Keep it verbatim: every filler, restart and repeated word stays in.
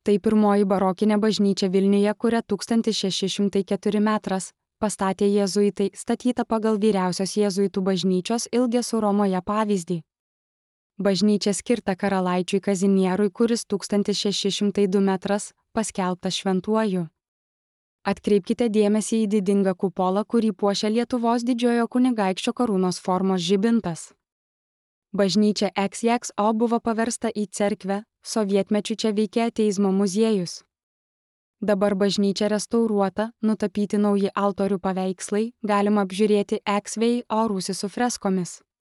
Tai pirmoji barokinė bažnyčia Vilniuje, kuria tūkstantis šeši šimtai keturi metras, pastatė jėzuitai, statyta pagal vyriausios jėzuitų bažnyčios Ilgesų Romoje pavyzdį. Bažnyčia skirta karalaičiui Kazimierui, kuris tūkstantis šeši šimtai du metras, paskelbtas šventuoju. Atkreipkite dėmesį į didingą kupolą, kurį puošia Lietuvos didžiojo kunigaikščio karūnos formos žibintas. Bažnyčia X X O buvo paversta į cerkvę, sovietmečiu čia veikė ateizmo muziejus. Dabar bažnyčia restauruota, nutapyti nauji altorių paveikslai, galima apžiūrėti X V O rūsį su freskomis.